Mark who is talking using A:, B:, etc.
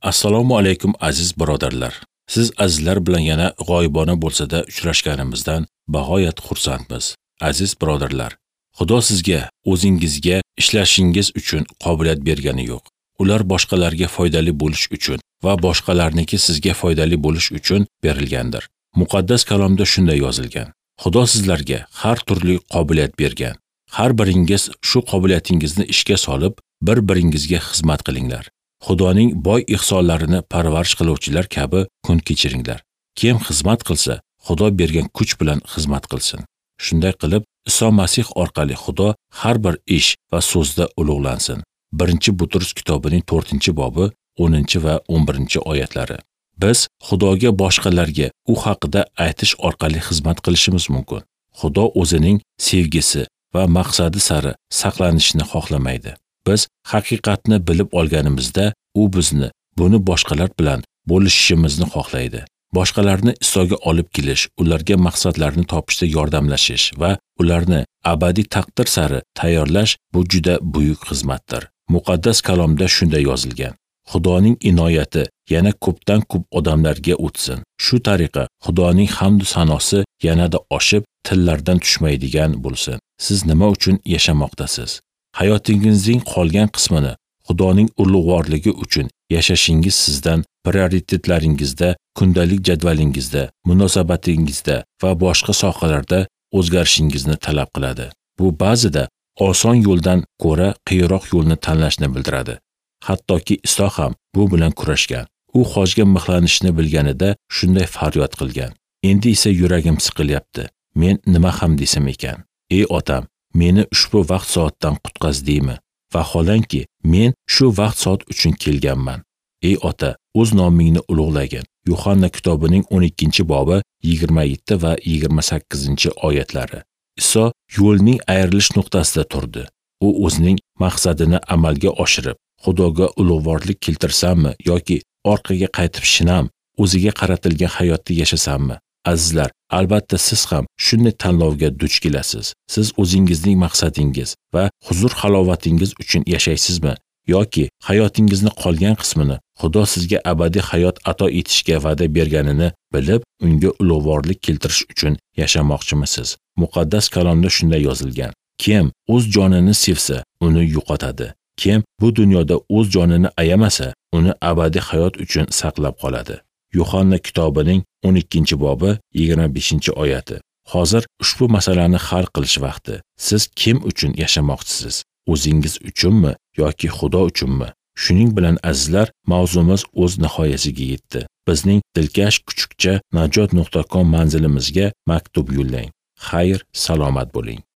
A: Assalomu alaykum aziz birodarlar. Siz azizlar bilan yana g'oyibona bo'lsa-da uchrashganimizdan bag'oyat xursandmiz. Aziz birodarlar, Xudo sizga o'zingizga ishlashingiz uchun qobiliyat bergani yo'q. Ular boshqalarga foydali bo'lish uchun va boshqalarniki sizga foydali bo'lish uchun berilgandir. Muqaddas kalomda shunday yozilgan: Xudo sizlarga har turli qobiliyat bergan. Har biringiz shu qobiliyatingizni ishga solib, bir-biringizga xizmat qilinglar. Xudoning boy ihsonlarini parvarish qiluvchilar kabi kun kechiringlar. Kim xizmat qilsa, Xudo bergan kuch bilan xizmat qilsin. Shunday qilib, Iso Masih orqali Xudo har bir ish va so'zda ulug'lansin. 1-Butrus kitobining 4-bobi 10 va 11 oyatlari. Biz Xudoga boshqalarga u haqida aytish orqali xizmat qilishimiz mumkin. Xudo o'zining sevgisi va maqsadi sari saqlanishni xohlamaydi. Biz haqiqatni bilib olganimizda, u bizni buni boshqalar bilan bo'lishishimizni xohlaydi. Boshqalarni Isoga olib kelish, ularga maqsadlarini topishda yordamlashish va ularni abadiy taqdir sari tayyorlash bu juda buyuk xizmatdir. Muqaddas kalomda shunday yozilgan: Xudoning inoyati yana ko'pdan ko'p odamlarga o'tsin. Shu tariqa Xudoning hamd sanosi yanada oshib, tillardan tushmaydigan bo'lsin. Siz nima uchun yashamoqdasiz? Hayotingizning qolgan qismini Xudoning ulug'vorligi uchun yashashingiz sizdan prioritetlaringizda, kundalik jadvalingizda, munosabatingizda va boshqa sohalarda o'zgarishingizni talab qiladi. Bu ba'zida oson yo'ldan ko'ra qiyinroq yo'lni tanlashni bildiradi. Hattoki Iso ham bu bilan kurashgan. U xochga mixlanishni bilganida shunday faryod qilgan: Endi esa yuragim siqilyapti. Men nima ham desam ekan? Ey otam, meni ushbu vaqt soatdan qutqaz deymi? Vaholanki, men shu vaqt soat uchun kelganman. Ey ota, o'z nomingni ulug'lagin. Yuhanna kitobining 12-bobi 27 va 28 oyatlari. Iso yo'lning ayrilish nuqtasida turdi. U o'zining maqsadini amalga oshirib, Xudoga ulug'vorlik keltirsammi yoki orqaga qaytib shinam, o'ziga qaratilgan hayotda yashasammi? Azizlar, albatta siz ham shunday tanlovga duch kelasiz. Siz o'zingizning maqsadingiz va huzur halovatingiz uchun yashaysizmi yoki hayotingizni qolgan qismini Xudo sizga abadiy hayot ato etishga va'da berganini bilib, unga ulug'vorlik keltirish uchun yashamoqchimisiz? Muqaddas kalomda shunday yozilgan: Kim o'z jonini sevsa, uni yo'qotadi. Kim bu dunyoda o'z jonini ayamasa, uni abadiy hayot uchun saqlab qoladi. Yuhanna kitobining 12-bobi 25 oyati. Hozir ushbu masalani hal qilish vaqti. Siz kim uchun yashamoqchisiz? O'zingiz uchunmi yoki Xudo uchunmi? Shuning bilan, azizlar, mavzumiz o'z nihoyasiga yetdi. Bizning dilkash kuchukcha najot.com manzilimizga maktub yo'llang. Xayr, salomat bo'ling.